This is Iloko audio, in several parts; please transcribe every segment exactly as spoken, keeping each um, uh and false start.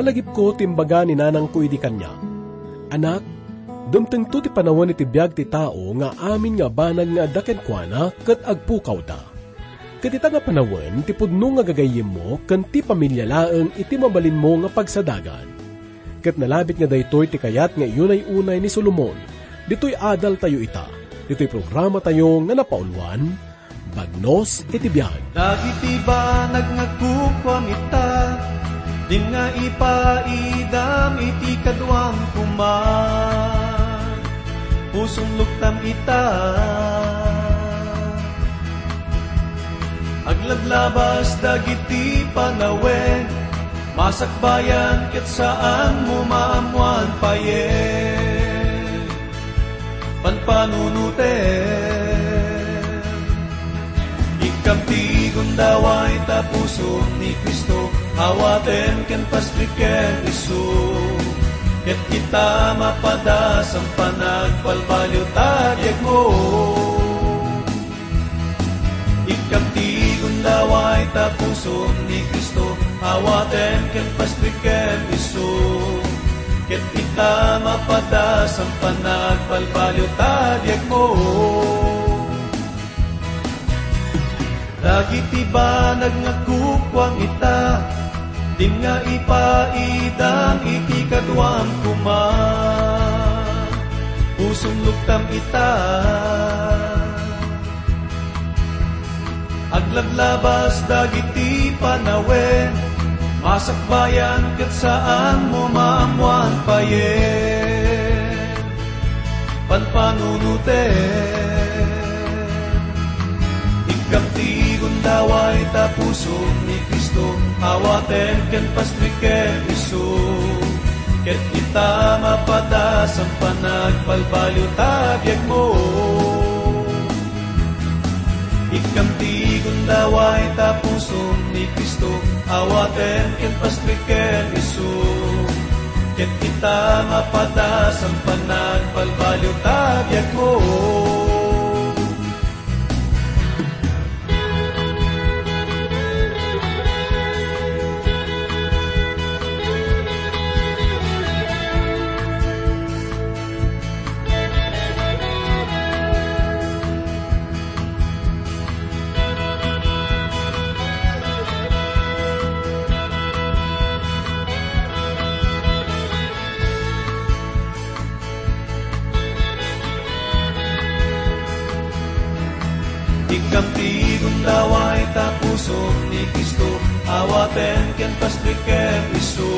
Lagipko ti imbaga ni nanangko idi kaniak, "Anak, dumtengto ti panawen iti biag ti tao nga amin nga banag nga adda kenkuana ket agpukawda." Ket ita nga panawen ti pudno nga gagayyemmo ken ti pamilia laeng iti mabalinmo nga pagsadagan. Ket nalabit nga daytoy ti kayat nga iunay-unay ni Solomon, ditoy adaltayo ita, ditoy programatayo nga napauluan, Bagnos iti Biag. Dagiti banag nga kukuam ita, din nga ipaidam iti kaduam koma. Pusong luktam ita. Aglaglabas dagiti panawen, masakbayan ket saanmo maammoan payen. Panpanunoten. Ikkam ti gundaway ta pusom ni Cristo, awaten ken pastriken isu. Ket ita mapadas a panagbalbaliw ta biagmo. Ikkam ti gundaway ta pusom ni Cristo, awaten ken pastriken isu. Ket ita mapadas a panagbalbaliw ta biagmo. Dagiti banag nga kukuam ita, din nga ipaidam iti kaduam koma. Pusong luktam ita. Aglaglabas dagiti panawen, masakbayan ket saanmo maammoan payen. Panpanunoten. Ikkam ti gundaway ta pusom ni Cristo, awaten ken pastriken isu. Ket ita mapadas a panagbalbaliw ta biagmo. Ikkam ti gundaway ta pusom ni Cristo, awaten ken pastriken isu. Ket ita mapadas a panagbalbaliw ta biagmo. Ikkam ti gundaway ta pusom ni Cristo, awaten ken pastriken isu.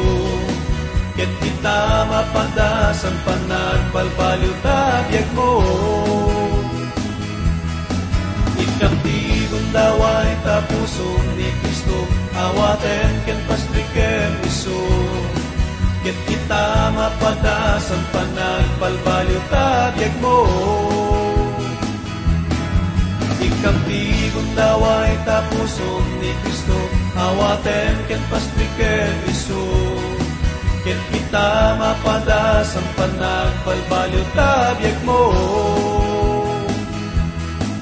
Ket ita mapadas a panagbalbaliw ta biagmo. Ikkam ti gundaway ta pusom ni Cristo, awaten ken pastriken isu. Ket ita mapadas a panagbalbaliw ta biagmo. Ikkam ti gundaway ta pusom ni Cristo, awaten ken pastriken isu. Ket ita mapadas a panagbalbaliw ta biagmo.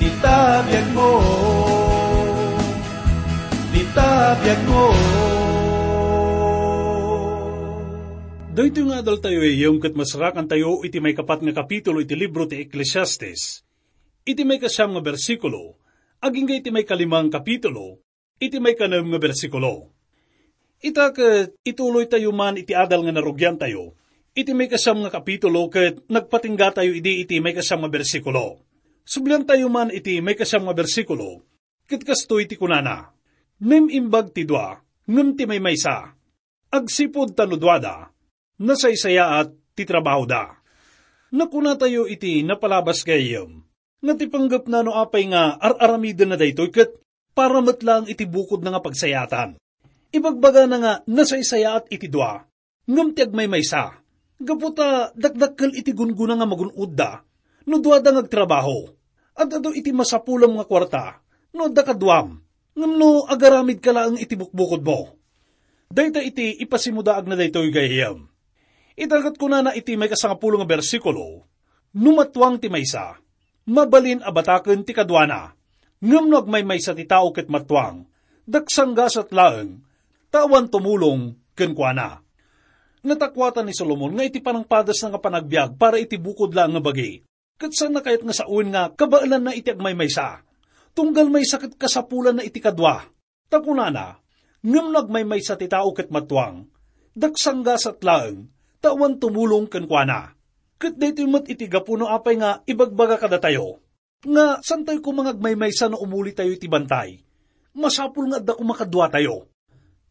Ita biagmo. Ita biagmo. Daytoy nga adaltayo, gayyem, ket masarakantayo iti maikapat nga kapitulo iti libro ti Eclesiastes. Iti maikasiam nga bersikulo, agingga iti maikalima nga kapitulo, iti maikanem nga bersikulo. Ita ket ituloytayo man iti adal nga narugiantayo. Iti maikasiam nga kapitulo ket nagpatinggatayo idi iti maikasiam nga bersikulo. Subliantayo man iti maikasiam nga bersikulo, ket kastoy ti kunana, "Naim-imbag ti dua, ngem ti maymaysa, agsipud ta no duada, nasaysayaat ti trabahoda." Nakunatayo iti napalabas, gayyem, nga ti panggepna no apay nga ar-aramidenna daytoy ket para met laeng iti bukodna nga pagsayaatan. Ibagbagana nga nasaysayaat iti dua, ngem ti agmaymaysa, gapu ta dakdakkel iti gunggona nga magun-odda no duada nga agtrabaho. Ad-adu iti masapulem nga kuarta no adda kaduam, ngem no agaramidka laeng iti bukbukodmo. Dayta iti ipasimudaagna daytoy, gayyem. Ita ket kunana iti maikasangapulo nga bersikulo, "No matuang ti maysa, mabalin a bataken ti kaduana. Ngem no agmaymaysa ti tao ket matuang, daksanggasat laeng, ta awan tumulong kenkuana." Natakuatan ni Solomon nga iti panangpadasna nga panagbiag para iti bukod laeng nga bagi, ket saanna kayat nga sawen nga kabaelanna iti agmaymaysa. Tunggal maysa ket kasapulanna iti kadua. Ta kunana, ngem no agmaymaysa ti tao ket matuang, daksanggasat laeng, ta awan tumulong kenkuana. Ket daytoy met iti gapu no apay nga ibagbaga kadatayo nga saantayo koma nga agmaymaysa no umulitayo iti bantay. Masapul nga adda koma kaduatayo.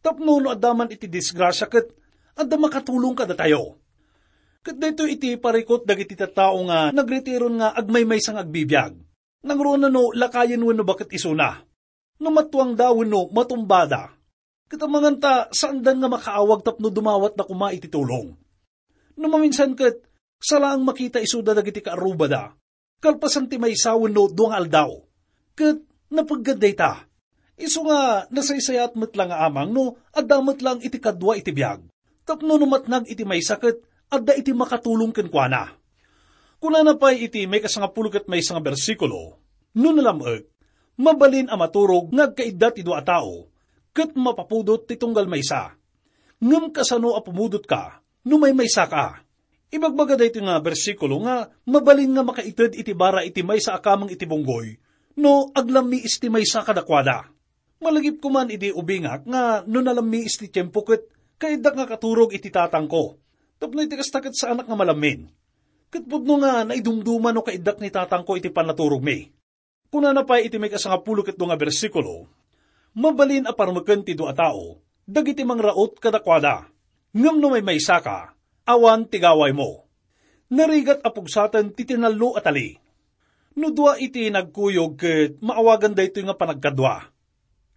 Tapno no adda man iti disgrasia ket adda makatulong kadatayo. Ket daytoy iti parikut dagiti tattao nga nagretiron nga agmaymaysa nga agbibiag. Nangruna no lakayen wenno baket isuna. No matuangda wenno matumbada. Ket amangan ta saandan nga makaawag tapno dumawatda koma iti tulong. No maminsan ket, salaang makita isuda dagiti kaarrubada, kalpasan ti maysa wenno dua nga aldaw. Ket napeggad dayta. Isu nga nasaysayaat met la nga amang no adda met lang iti kadua iti biag. Tapno no matnag iti maysa ket adda iti makatulong kenkuana. Kunana pay iti maikasangapulo ket maysa nga bersikulo, "No nalam-ek, mabalin a maturog nga agkaidda ti dua a tao, ket mapapudot ti tunggal maysa. Ngem kasano a pumudotka no maymaysaka?" Ibagbaga daytoy nga bersikulo nga mabalin nga makaited iti bara iti maysa a kameng iti bunggoy no aglammiis ti maysa kadakuada. Malagip koman idi ubingak nga no nalammiis ti tiempo ket kaiddak nga katurog iti tatangko. Tapno iti kasta ket saanak nga malammin. Ket pudno nga naidumduma no kaiddak ni tatangko iti pannaturogmi. Kunana pay iti maikasangapulo ket dua nga bersikulo, "Mabalin a parmeken ti dua a tao dagiti mangraut kadakuada. Ngem no maymaysaka, awan ti gawaymo. Narigat a pugsaten ti tinallo a tali. No dua iti nagkuyog ket maawagan daytoy nga panagkadua.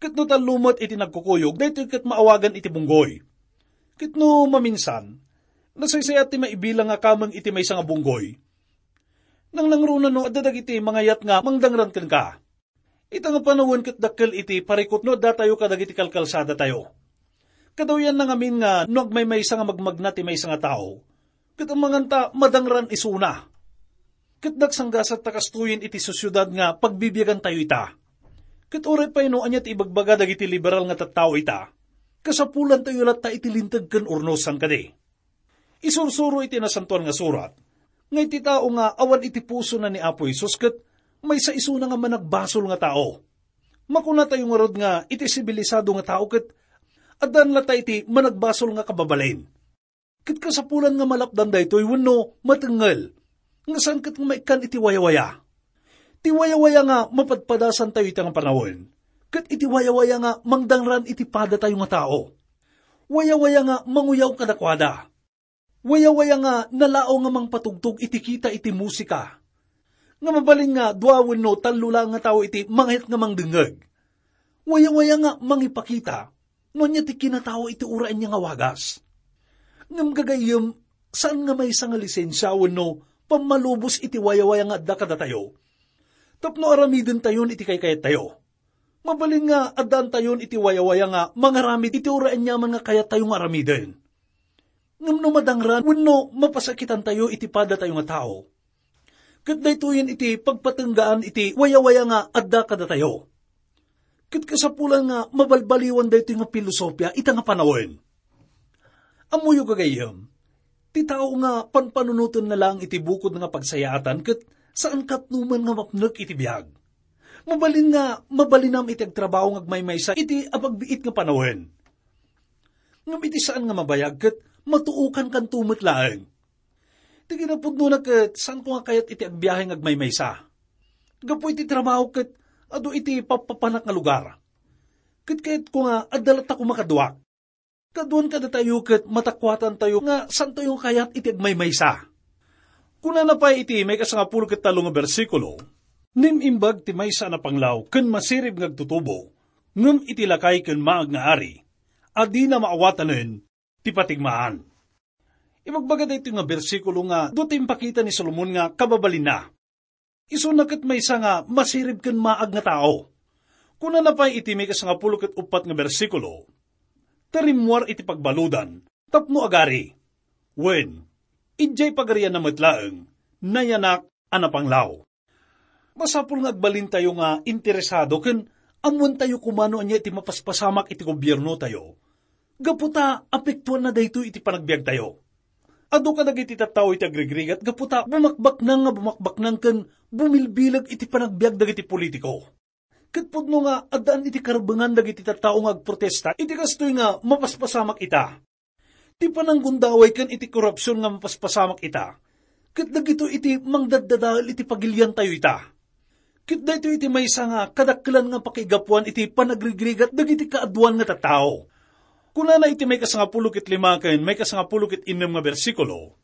Ket no tallo met iti nagkukuyog, daytoy ket maawagan iti bunggoy. Ket no maminsan, nasaysayaat ti maibilang nga kameng iti maysa nga bunggoy. Nangnangruna no adda dagiti mangayat nga mangdangran kenka." Ita nga panawen ket dakkel iti parikut no addatayo kadagiti kalkalsadatayo. Kadawyanna ngamin nga no agmaymaysa nga magmagna ti maysa nga tao, ket amangan ta madangran isuna. Ket daksanggasat ta kastoyen iti sosiedad nga pagbibiagantayo ita. Ket uray pay no ania ti ibagbaga dagiti liberal nga tattao ita, kasapulantayo latta iti linteg ken urnosan kadi. Isursuro iti Nasantoan nga Surat nga iti tao nga awan iti pusona ni Apo Jesus ket maysa isuna nga managbasol nga tao. Makunatayo ngarud nga iti sibilisado nga tao ket addan latta iti managbasol nga kababalin. Ket kasapulan nga malapdan daytoy wenno matengngel nga saan ket nga maikkan iti wayawaya. Ti wayawaya nga mapadpadasantayo ita nga panawen, ket iti wayawaya nga mangdangran iti padatayo nga tao. Wayawaya nga manguyaw kadakuada. Wayawaya nga nalao nga mangpatugtog iti kita iti musika. Nga mabalin nga dua wenno tallo laeng nga tao iti mangayat nga mangdengngeg. Wayawaya nga mangipakita no ania ti kinatao iti uray ania nga wagas. Ngem gagayyem, saan nga maysa nga lisensia wenno pammalubos iti wayawaya nga adda kadatayo tapno aramidentayon iti kaykayattayo. Mabalin nga addaantayon iti wayawaya nga mangaramid iti uray aniaman nga kayattayo nga aramiden. Ngem no madangran wenno mapasakitantayo iti padatayo nga tao, ket daytoyen iti pagpatenggaan iti wayawaya nga adda kadatayo. Ket kasapulan nga mabalbaliwan daytoy nga pilosopia ita nga panawen. Ammoyo, gagayyem, ti tao nga panpanunotenna laeng iti bukod nga pagsayaatan ket saan katnoman nga mapnek iti biag. Mabalin nga mabalinam iti agtrabaho nga agmaymaysa iti apagbiit nga panawen. Ngem iti saan nga mabayag ket matuokankanto met laeng. Ti kinapudnona ket saanko nga kayat iti agbiahe nga agmaymaysa. Gapu iti trabaho ket adu iti pappapanak nga lugar. Ket kayatko nga adda latta koma kaduak. Kaduan kadatayo ket matakuatantayo nga saantayo nga kayat iti agmaymaysa. Kunana pay iti maikasangapulo ket tallo nga bersikulo, "Nim-imbag ti maysa a napanglaw ken masirib nga agtutubo, ngem iti lakay ken maag nga ari, a dina maawatanen ti patigmaan." Ibagbaga daytoy nga bersikulo nga dua ti impakita ni Solomon nga kababalinna. Isuna ket maysa nga masirib ken maag nga tao. Kunana pay iti maikasangapulo ket uppat nga bersikulo, "Ta rimmuar iti pagbaludan tapno agari. Wen, idiay pagarianna met laeng, nayanak a napanglaw." Masapul nga agbalintayo nga interesado ken ammoentayo koma no ania ti mapaspasamak iti gobiernotayo. Gapu ta apektuanna daytoy iti panagbiagtayo. Adu kadagiti tattao iti agrigrigat gapu ta bumakbaknang nga bumakbaknang ken bumilbileg iti panagbiag dagiti politiko. Ket pudno nga addaan iti karbengan dagiti tattao nga agprotesta iti kastoy nga mapaspasamak ita. Ti pananggundaway ken iti korupsion nga mapaspasamak ita, ket dagitoy iti mangdaddadael iti pagiliantayo ita. Ket daytoy iti maysa nga kadakkelan nga pakaigapuan iti panagrigrigat dagiti kaaduan nga tattao. Kunana iti maikasangapulo ket lima ken maikasangapulo ket innem nga bersikulo,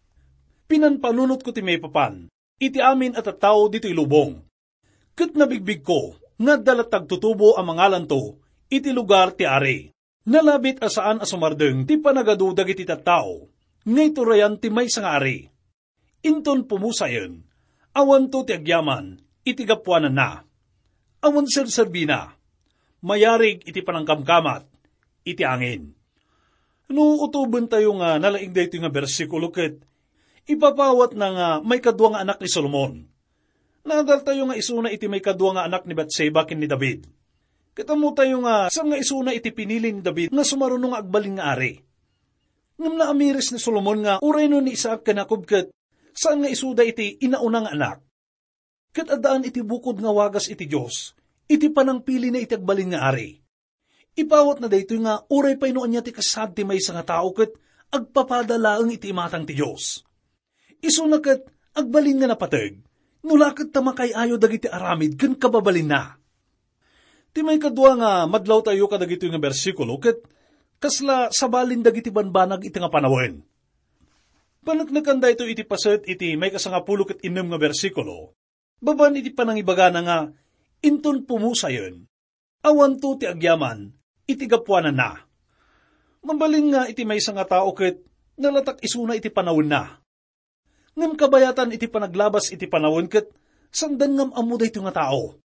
"Pinanpanunotko ti maipapan iti amin a tattao ditoy lubong, ket nabigbigko nga adda latta agtutubo a mangalanto iti lugar ti ari. Nalabit a saan a sumardeng ti panagadu dagiti tattao nga iturayan ti maysa nga ari. Inton pumusayen, awanto ti agyaman iti gapuananna. Awan serserbina. Mayarig iti panangkamkamat iti angin." No utobentayo nga nalaing daytoy nga bersikulo ket ipapawatna nga maikadua nga anak ni Solomon. Naadaltayo nga isuna iti maikadua nga anak ni Batseba ken ni David. Ket ammotayo nga saan nga isuna iti pinili ni David nga sumaruno nga agbalin nga ari. Ngem naamiris ni Solomon nga uray no ni Isaac ken Jacob ket saan nga isuda iti inauna nga anak. Ket addaan iti bukod nga wagas iti Dios iti panangpilina iti agbalin nga ari. Ipawatna daytoy nga uray pay no ania ti kasaad ti maysa nga tao ket agpapada laeng iti imatang ti Dios. Isuna ket agbalin nga napateg, no la ket ta makaay-ayo dagiti aramid ken kababalinna. Ti maikadua nga madlawtayo kadagitoy nga bersikulo ket kasla sabalin dagiti banbanag iti nga panawen. Paneknekan daytoy iti paset iti maikasangapulo ket innem nga bersikulo, babaen iti panangibagana nga, "Inton pumusayen, awanto ti agyaman iti gapuananna." Mabalin nga iti maysa nga tao ket nalatak isuna iti panawenna. Ngem kabayatan iti panaglabas iti panawen ket saan da nga am-ammo daytoy nga tao.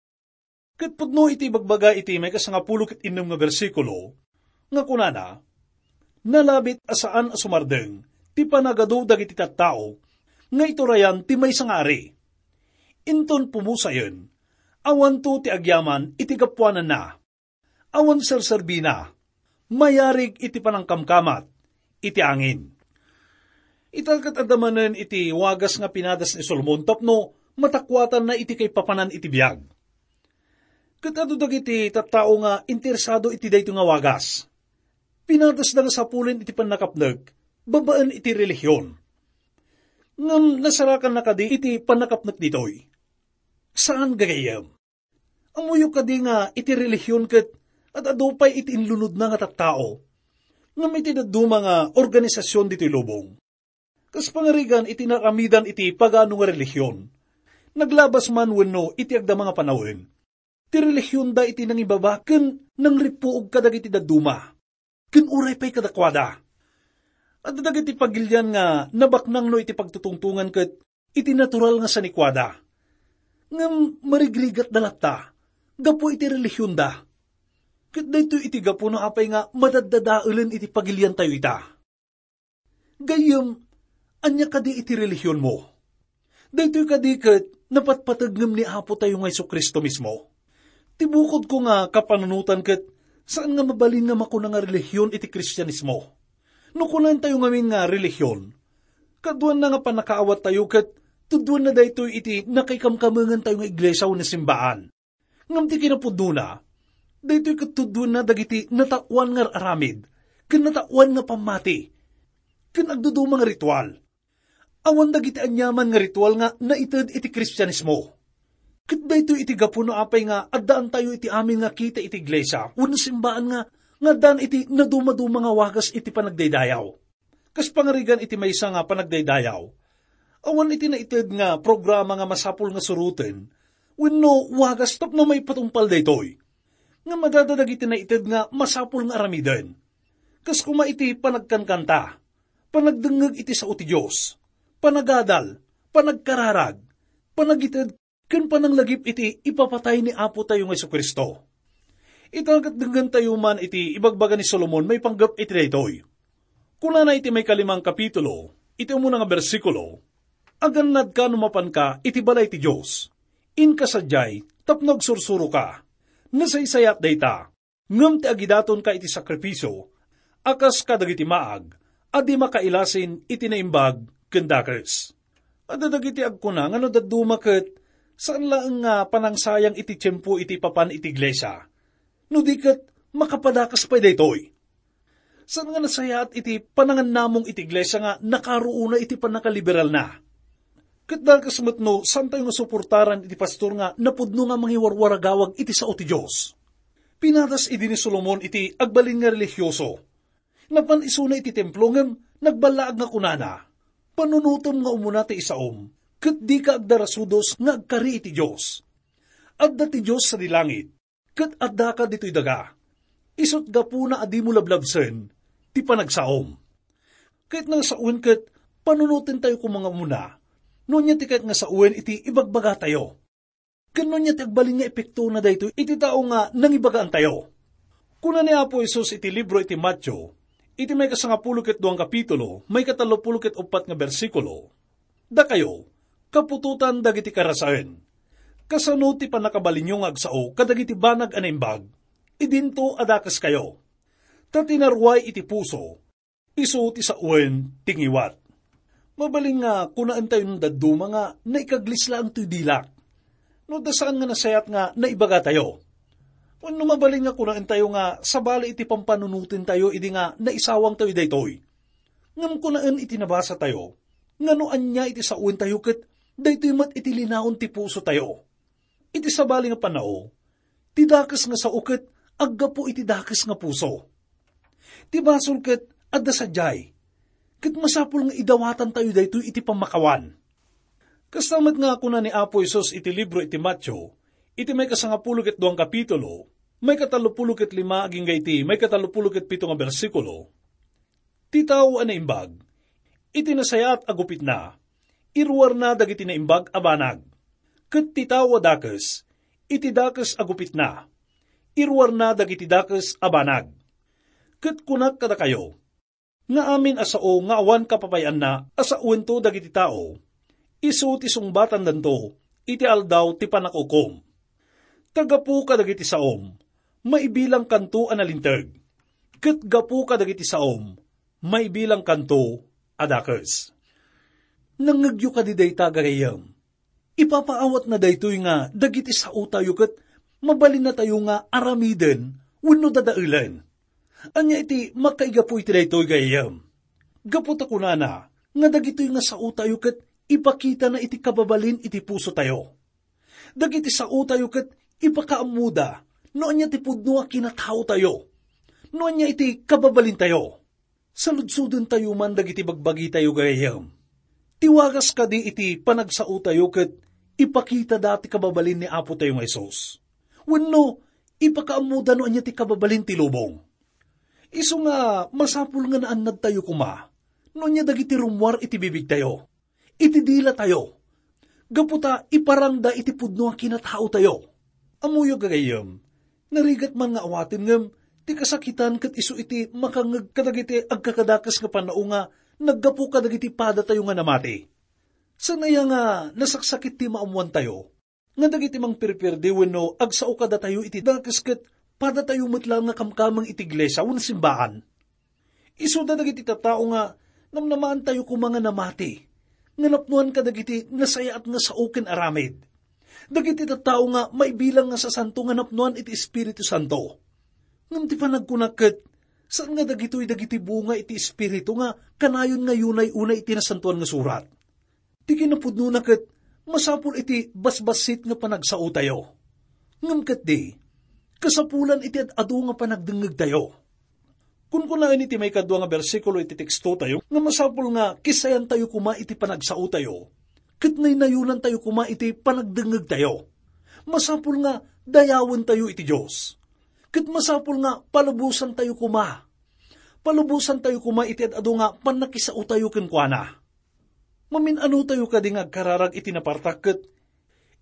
Ket pudno iti ibagbaga iti maikasangapulo ket innem nga bersikulo, nga kunana, "Nalabit a saan a sumardeng ti panagadu dagiti tattao nga iturayan ti maysa nga ari. Inton pumusayen, awanto ti agyaman iti gapuananna. Awan serserbina. Mayarig iti panangkamkamat iti angin." Ita ket adda manen iti wagas nga pinadas ni Solomon tapno matakuatanna iti kaipapanan iti biag. Ket adu dagiti tattao nga interesado iti daytoy nga wagas. Pinadasda nga sapulen iti pannakapnek babaen iti relihion. Ngem nasarakanna kadi iti pannakapnek ditoy? Saan, gagayyem. Ammoyo kadi nga iti relihion ket ad-adu pay iti inlunodna nga tattao ngem iti dadduma nga organisasyon ditoy lubong. Kas pangarigan iti naramidan iti pagano nga relihion, naglabas man wenno iti agdama nga panawen, ti relihionda iti nangibaba ken nangrippuog kadagiti dadduma, ken uray pay kadakuada. Adda dagiti pagilian nga nabaknangno iti pagtutungtongan ket iti natural nga sanikuada. Ngem marigrigatda latta gapu iti relihionda. Ket daytoy iti gapu no apay nga madaddadaelen iti pagiliantayo ita. Gayyem, ania kadi iti relihionmo? Daytoy kadi ket napatpateg ngem ni Apotayo nga Jesu-Cristo mismo? Ti bukodko nga kapanunotan ket saan nga mabalin nga makuna nga relihion iti Kristianismo. No kunantayo ngamin nga relihion, kaduanna nga pannakaawattayo ket tudduanna daytoy iti nakaikamkamengantayo nga iglesia wenno simbaan. Ngem ti kinapudnona, daytoy ket tudduenna dagiti nataoan nga ar-aramid ken nataoan nga pammati ken agduduma nga ritual. Awan dagiti aniaman nga ritual nga naited iti Kristianismo. Ket daytoy iti gapu no apay nga addaantayo iti amin nga kita iti iglesia wenno simbaan nga, nga addaan iti nadumaduma nga wagas iti panagdaydayaw. Kas pangarigan iti maysa nga panagdaydayaw, awan iti naited nga programa nga masapul nga suroten wenno wagas tapno maipatungpal daytoy. Ngem adda dagiti naited nga masapul nga aramiden. Kas koma iti panagkankanta, panagdengngeg iti sao ti Dios, panagadal, panagkararag, panagited ken pananglagip iti ipapatay ni Apotayo nga Jesu-Cristo. Ita ket denggentayo man iti ibagbaga ni Solomon maipanggep iti daytoy. Kunana iti maikalimang kapitulo, iti umuna nga bersikulo, "Agannadka no mapanka iti balay ti Dios. Inka sadiay tapno agsursuroka. Nasaysayat dayta, ngem ti agidatonka iti sakrifisio, a kas kadagiti maag a di makailasin iti naimbag ken dakes. Adda dagiti agkuna nga no dadduma ket saan laeng nga panangsayang iti tiempo iti papan iti iglesia. No di ket, makapadakes pay daytoy. Saan nga nasayaat iti panangannamong iti iglesia nga nakaruona iti pannakaliberalna. Ket dakes met no saantayo nga suportaran iti pastor nga napudno nga mangiwarwaragawag iti sao ti Dios. Pinadas idi ni Solomon iti agbalin nga relihioso. Napan isuna iti templo ngem nagballaag nga kunana, "Panunotem nga umuna ti isaom, ket dika agdarasudos nga agkari iti Dios. Adda ti Dios sadi langit, ket addaka ditoy daga. Isut' gapuna a dimo lablabsen ti panagsaom." Ket nga sawen ket panunotentayo koma nga umuna, no ania ti kayat nga sawen iti ibagbagatayo. Ken no ania ti agbalin nga epektona daytoy iti tao nga nangibagaantayo? Kuna ni Apo Jesus iti libro iti Mateo, iti maikasangapulo ket duang kapitulo, maikatallopulo ket uppat nga bersikulo, "Dakayo, kaputotan dagiti karasaen, kasano ti pannakabalinyo nga agsao kadagiti banag a naimbag? Idinto a dakeskayo. Ta ti naruay iti puso, isu ti sawen ti ngiwat." Mabalin nga kunaentayo no dadduma nga naikaglis laeng toy dilak. No adda saan nga nasayaat nga naibagatayo. Wenno mabalin nga kunaentayo nga sabali iti pampanunotentayo idi nga naisawangtayo daytoy. Ngem kunaen iti nabasatayo nga no ania iti saoentayo ket daytoy met iti linaon ti pusotayo. Iti sabali nga pannao, ti dakes nga sao ket aggapu iti dakes nga puso. Ti basol ket adda sadiay, ket masapul nga idawatantayo daytoy iti pammakawan. Kasta met nga kuna ni Apo Jesus iti libro iti Mateo, iti maikasangapulo ket duang kapitulo, maikatallopulo ket lima agingga iti maikatallopulo ket pito nga bersikulo, "Ti tao a naimbag, iti nasayaat a gupitna, iruarna dagiti naimbag a banag. Ket ti tao a dakes, iti dakes a gupitna, iruarna dagiti dakes a banag. Ket kunak kadakayo, nga amin a sao nga awan kapapay-anna a saoento dagiti tao, isu ti sungbatandanto iti aldaw ti pannakukom. Ta gapu kadagiti saom, maibilangkanto a nalinteg, ket gapu kadagiti saom, maibilangkanto a dakes." Nangngegyo kadi dayta, gagayyem? Ipapaawatna daytoy nga dagiti saotayo ket mabalinnatayo nga aramiden wenno dadaelen. Ania iti makaigapu iti daytoy, gagayyem? Gapu ta kunana nga dagitoy nga saotayo ket ipakitana iti kababalin iti pusotayo. Dagiti saotayo ket ipakaammoda no ania ti pudno a kinataotayo, no ania iti kababalintayo. Saludsodentayo man dagiti bagbagitayo, gagayyem. Ti wagas kadi iti panagsaotayo ket ipakitada ti kababalin ni Apotayo nga Jesus? Wenno ipakaammoda no ania ti kababalin ti lubong? Isu nga masapul nga naannadtayo koma no ania dagiti rummuar iti bibigtayo, iti dilatayo, gapu ta iparangda iti pudno a kinataotayo. Ammoyo, gagayyem, narigat man nga awaten ngem ti kasakitan ket isu iti makangngeg kadagiti agkakadakes nga pannao nga naggapu kadagiti padatayo nga namati. Saan aya nga nasaksakit ti maammoantayo nga dagiti mangpirpirdi wenno agsao kadatayo iti dakes ket padatayo met laeng nga kamkameng iti iglesia wenno simbaan? Isuda dagiti tattao nga namnamaantayo koma nga namati, nga napnoan kadagiti nasayaat nga sao ken aramid. Dagiti tattao nga maibilang nga sasanto nga napnoan iti Espiritu Santo. Ngem ti panagkunak ket, saan nga dagitoy dagiti bunga iti Espiritu nga kanayon nga yunay unay iti Nasantoan nga Surat. Ti kinapudnona ket masapul iti basbassit nga panagsaotayo. Ngem ketdi, kasapulan iti ad-adu nga panagdengngegtayo. Kunkunaen iti maikadua nga bersikulo iti tekstotayo nga masapul nga kissayantayo koma iti panagsaotayo, ket naynayonantayo koma iti panagdengngegtayo. Masapul nga dayawentayo iti Dios, ket masapul nga palubosantayo koma. Palubosantayo koma iti ad-adu nga pannakisaotayo kenkuana. Mamin-anotayo kadi nga agkararag iti napartak ket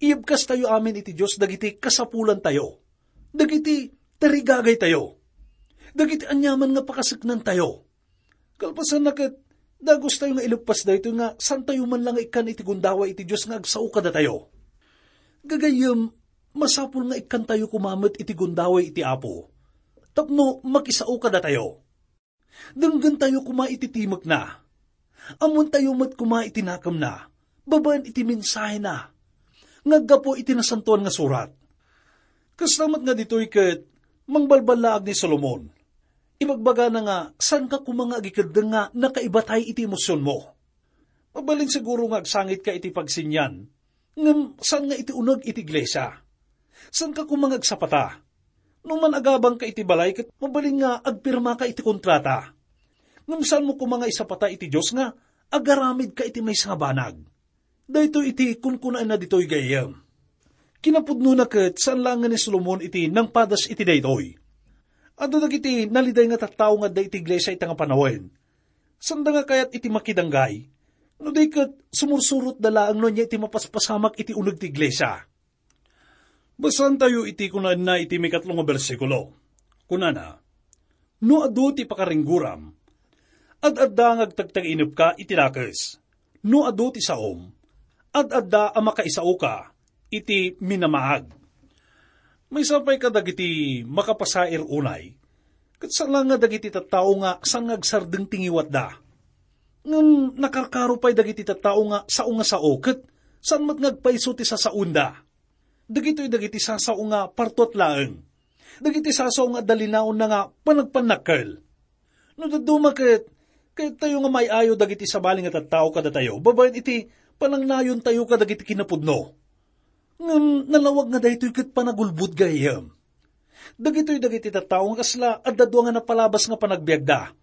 iyebkastayo amin iti Dios dagiti kasapulantayo, dagiti tarigagaytayo, dagiti aniaman nga pakaseknantayo. Kalpasanna ket, dagustayo nga ileppas daytoy nga saantayo man la nga ikkan iti gundaway iti Dios nga agsao kadatayo. Gagayyem, masapul nga ikkantayo koma met iti gundaway iti Apo tapno makisao kadatayo. Denggentayo koma iti timekna. Ammoentayo met koma iti nakemna, babaen iti mensahena nga aggapu iti Nasantoan nga Surat. Kasta met nga ditoy ket mangbalballaag ni Solomon. Ibagbagana nga, saanka koma nga agikeddeng nga nakaibatay iti emosionmo. Mabalin siguro nga agsangitka iti pagsinian, ngem saan nga iti uneg iti iglesia. Saanka koma nga agsapata. No man-agabangka iti balay ket mabalin nga agpirmaka iti kontrata. Ngem saanmo koma nga isapata iti Dios nga agaramidka iti maysa nga banag. Daytoy iti kunkunaenna ditoy gayyem. Kinapudnona ket saan laengen ni Solomon iti nangpadas iti daytoy. Adda dagiti naliday nga tattao nga adda iti iglesia ita nga panawen. Saanda nga kayat iti makidanggay. No di ket sumursurotda laeng no ania iti mapaspasamak iti uneg ti iglesia. Basaentayo iti kunaenna iti mikatlo nga bersikulo. Kunana, "No adu ti pakaringgoram, ad-adda nga agtagtagiinepka iti dakes. No adu ti saom, ad-adda a makaisaoka iti minamaag." Maysa pay kadagiti makapasair unay, ket saan laeng nga dagiti tattao nga saan nga agsardeng ti ngiwatda. Ngem nakarkaro pay dagiti tattao nga sao nga sao ket saan met nga agpayso ti sasaoenda. Dagitoy dagiti sasao nga partuat laeng. Dagiti sasao nga adda linaonna nga panagpannakkel. No dadduma ket, kayattayo nga maay-ayo dagiti sabali nga tattao kadatayo babaen iti panangnayontayo kadagiti kinapudno. Ngem nalawag nga daytoy ket panagulbod gayyem. Dagitoy dagiti tattao nga kasla adda dua nga napalabas nga panagbiagda.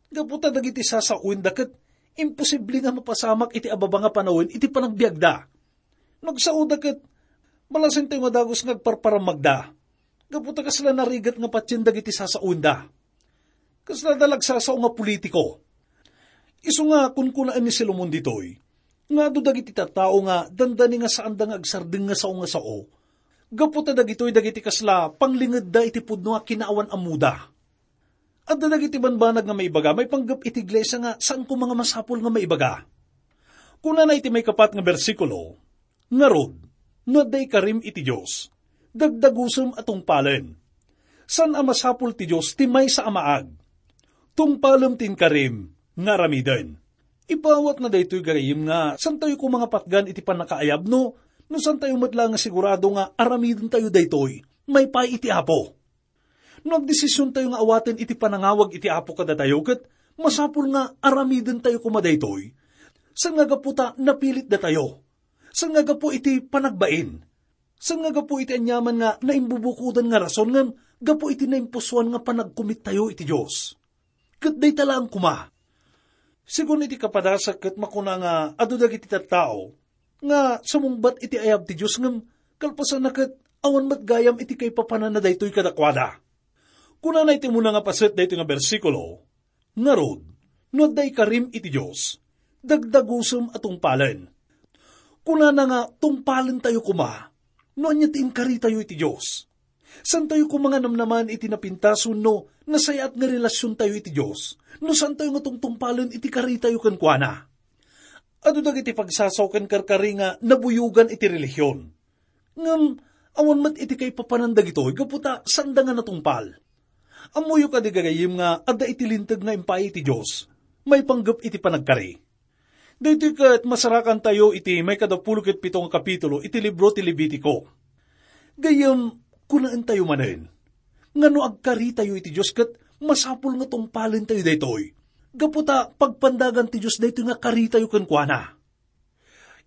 Gapu ta dagiti sasaoenda ket imposible nga mapasamak iti ababa nga panawen iti panagbiagda. No agsaoda ket, balasentayo nga dagus nga agparparammagda. Gapu ta kasla narigat nga patien dagiti sasaoenda. Kasla da lagsasao nga politiko. Isu nga kunkunaen ni Solomon ditoy, nga adu dagiti tattao nga dandani nga saanda nga agsardeng nga sao nga sao. Gapu ta dagitoy dagiti kasla panglingedda iti pudno a kinaawan-ammoda. Adda dagiti banbanag nga maibaga maipanggep iti iglesia nga saan koma nga masapul nga maibaga. Kunana iti maikapat nga bersikulo, "Ngarud, no adda ikarim iti Dios, dagdagusem a tungpalen. Saan a masapul ti Dios ti maysa a maag. Tungpalem ti inkarim nga aramiden." Ipaawatna daytoy gayyem nga saantayo koma nga patgan iti pannakaayab no, no saantayo met la nga sigurado nga aramidentayo daytoy maipaay iti Apo. No agdesisiontayo nga awaten iti panangawag iti Apo kadatayo, ket masapul nga aramidentayo koma daytoy. Saan nga gapu ta napilit datayo. Saan nga gapu iti panagbain. Saan nga gapu iti aniaman nga naimbubukodan nga rason ngem gapu iti naimpusoan nga panagkumittayo iti Dios. Ket dayta laeng koma. Segun iti kapadasak ket makuna nga adu dagiti tattao nga sumungbat iti ayab ti Dios ngem kalpasanna ket awan met gayam iti kaipapananna daytoy kadakuada. Kunana iti umuna nga paset daytoy nga bersikulo, "Ngarud, no adda ikarim iti Dios, dagdagusem a tungpalen." Kunana nga tungpalentayo koma no ania ti inkaritayo iti Dios. Saantayo koma nga namnamaen iti napintas wenno nasayaat nga relasiontayo iti Dios no saantayo nga tungtungpalen iti karitayo kenkuana. Adu dagiti pagsasao ken karkari nga nabuyogan iti relihion. Ngem awan met iti kaipapanan dagitoy gapu ta saanda nga natungpal. Ammoyo kadi gagayyem nga adda iti Linteg nga impaay iti Dios maipanggep iti panagkari. Daytoy ket masarakantayo iti maikadapulo ket pito nga kapitulo iti libro ti Levitico. Gayyem, kunaentayo manen nga no agkaritayo iti Dios ket masapul nga tungpalentayo daytoy, gapu ta pagpandagan ti Dios daytoy nga karitayo kenkuana.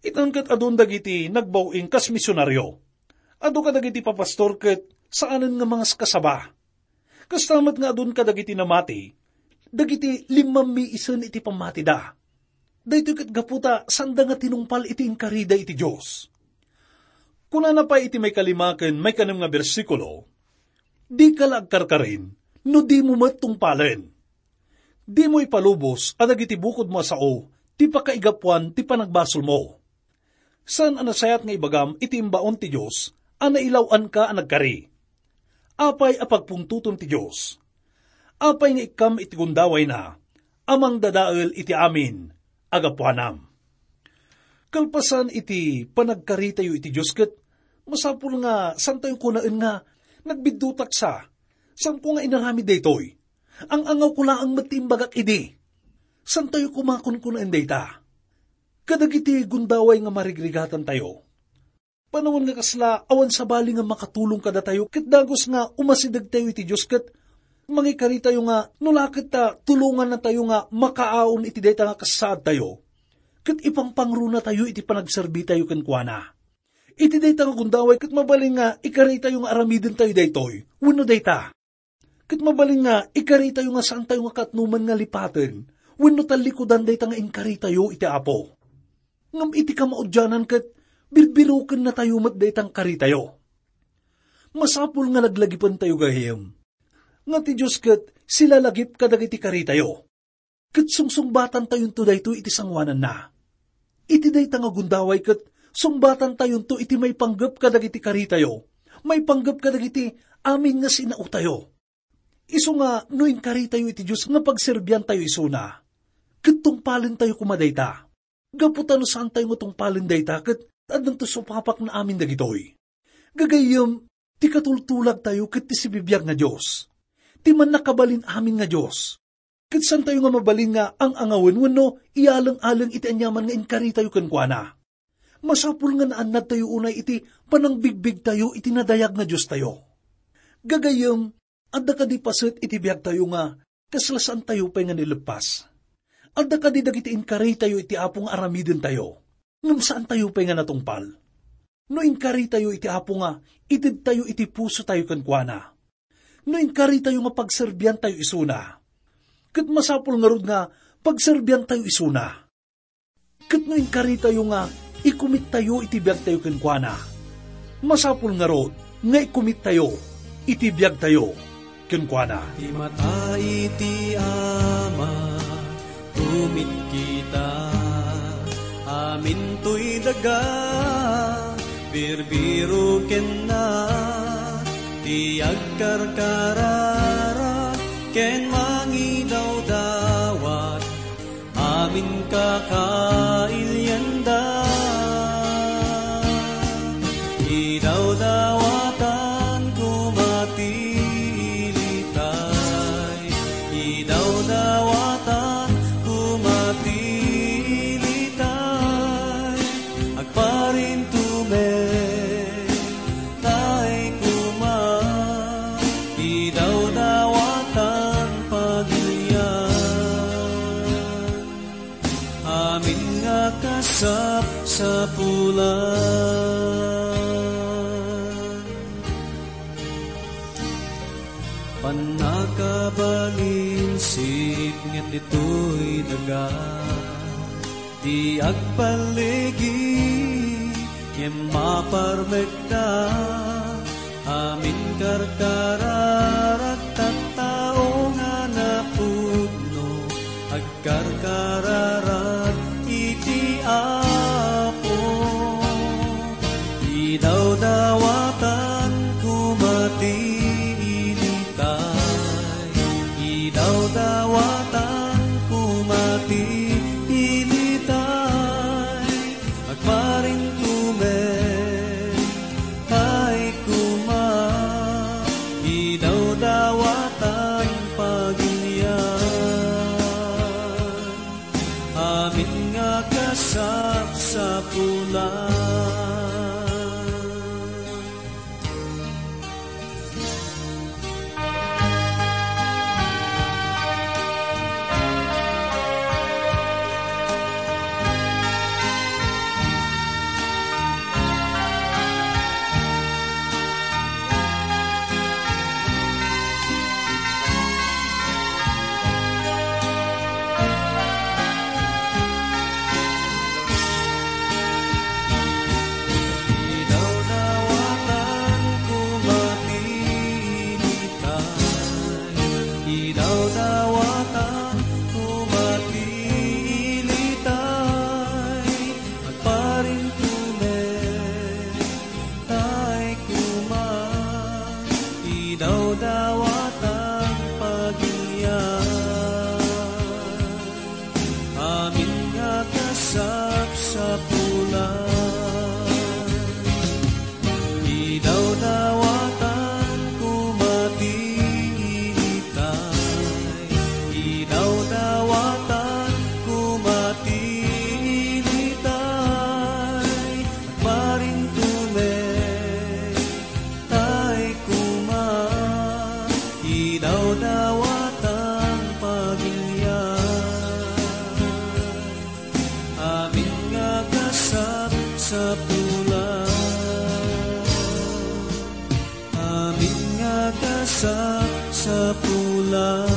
Itan ket adun dagiti nagbaw-ing kas misionario. Adu kadagiti papastor ket saanen nga mangaskasaba. Kasta met nga adun kadagiti namati, dagiti limmammiisen iti pammatida. Daytoy ket gapu ta saanda nga tinungpal iti inkarida iti Dios. Kunana pay iti maikalima ken maikanem nga bersikulo, "Dika la agkarkarin no dimo met tungpalen. Dimo ipalubos a dagiti bukodmo a sao ti pakaigapuan ti panagbasolmo." Saan a nasayaat nga ibagam iti imbaon ti Dios a nailaw-anka a nagkari? Apay a pagpungtotem ti Dios? Apay nga ikkam iti gundawayna a mangdadael iti amin a gapuanam? Kalpasan iti panagkaritayo iti Dios ket masapul nga saantayo kunaen nga, "Nagbiddutak sa, saanko nga inaramid daytoy." Ang-angawko laeng met ti imbagak idi. Santayo koma kunkunaen dayta. Kadagiti gundaway nga marigrigatantayo, panawen nga kasla, awan sabali nga makatulong kadatayo, ket dagus nga umasidegtayo iti Dios, ket mangikaritayo nga no la ket ta tulongannatayo nga makaaon iti dayta nga kasaadtayo, ket ipangpangronatayo iti panagserbitayo kenkuana. Iti dayta nga gundaway, ket mabalin nga ikaritayo nga aramidentayo daytoy wenno dayta. Ket mabalin nga ikaritayo nga saantayo nga katnoman nga lipaten wenno tallikudan dayta nga inkaritayo iti Apo. Ngem iti kamaudianan ket birbirokennatayo met dayta nga karitayo. Masapul nga laglagipentayo, gayyem, nga ti Dios ket silalagip kadagiti karitayo. Ket sungsungbatantayonto daytoy iti sangoananna. Iti dayta nga gundaway ket sungbatantayonto iti maipanggep kadagiti karitayo, maipanggep kadagiti amin nga sinaotayo. Isu nga no inkaritayo iti Dios nga pagserbiantayo isuna, ket tungpalentayo koma dayta. Gapu ta no saantayo nga tungpalen dayta, ket addanto supapakna amin dagitoy. Gagayyem, ti katultulagtayo ket ti sibibiag nga Dios, ti mannakabalin amin nga Dios. Ket saantayo nga mabalin nga ang-angawen wenno iyaleng-aleng iti aniaman nga inkaritayo kenkuana. Masapul nga naannadtayo unay iti panangbigbigtayo iti nadayag nga Diostayo. Gagayyem, adda kadi paset iti biagtayo nga kasla saantayo pay nga naileppas? Adda kadi dagiti inkaritayo iti Apo nga aramidentayo, ngem saantayo pay nga natungpal? No inkaritayo iti Apo nga itedtayo iti pusotayo kenkuana, no inkaritayo nga pagserbiantayo isuna, ket masapul ngarud nga pagserbiantayo isuna. Ket no inkaritayo nga ikumittayo iti biagtayo kenkuana, masapul ngarud nga ikumittayo iti biagtayo kenkuana. Ti mata iti Ama, kumit kita, amintoy daga, birbiro kenna, ti agkarkararag ken mangidawdawat, amin kakailianda. Idawdawatan koma ti ilitay, idawdawatan koma ti ilitay, agparintumen tay koma, idawdawatan pagilian, amin nga kasapsapulan. Pannakabalin sipnget ditoy daga, ti agpalligi ngem maparmekda, amin karkararag tattao nga napudno, agkarkararag iti Apo. Idawdawatan koma ti ilitay, idawdawatan koma ti ilitay, agparintumen tay koma, idawdawatan pagilian, amin nga kasapsapulan. Tula.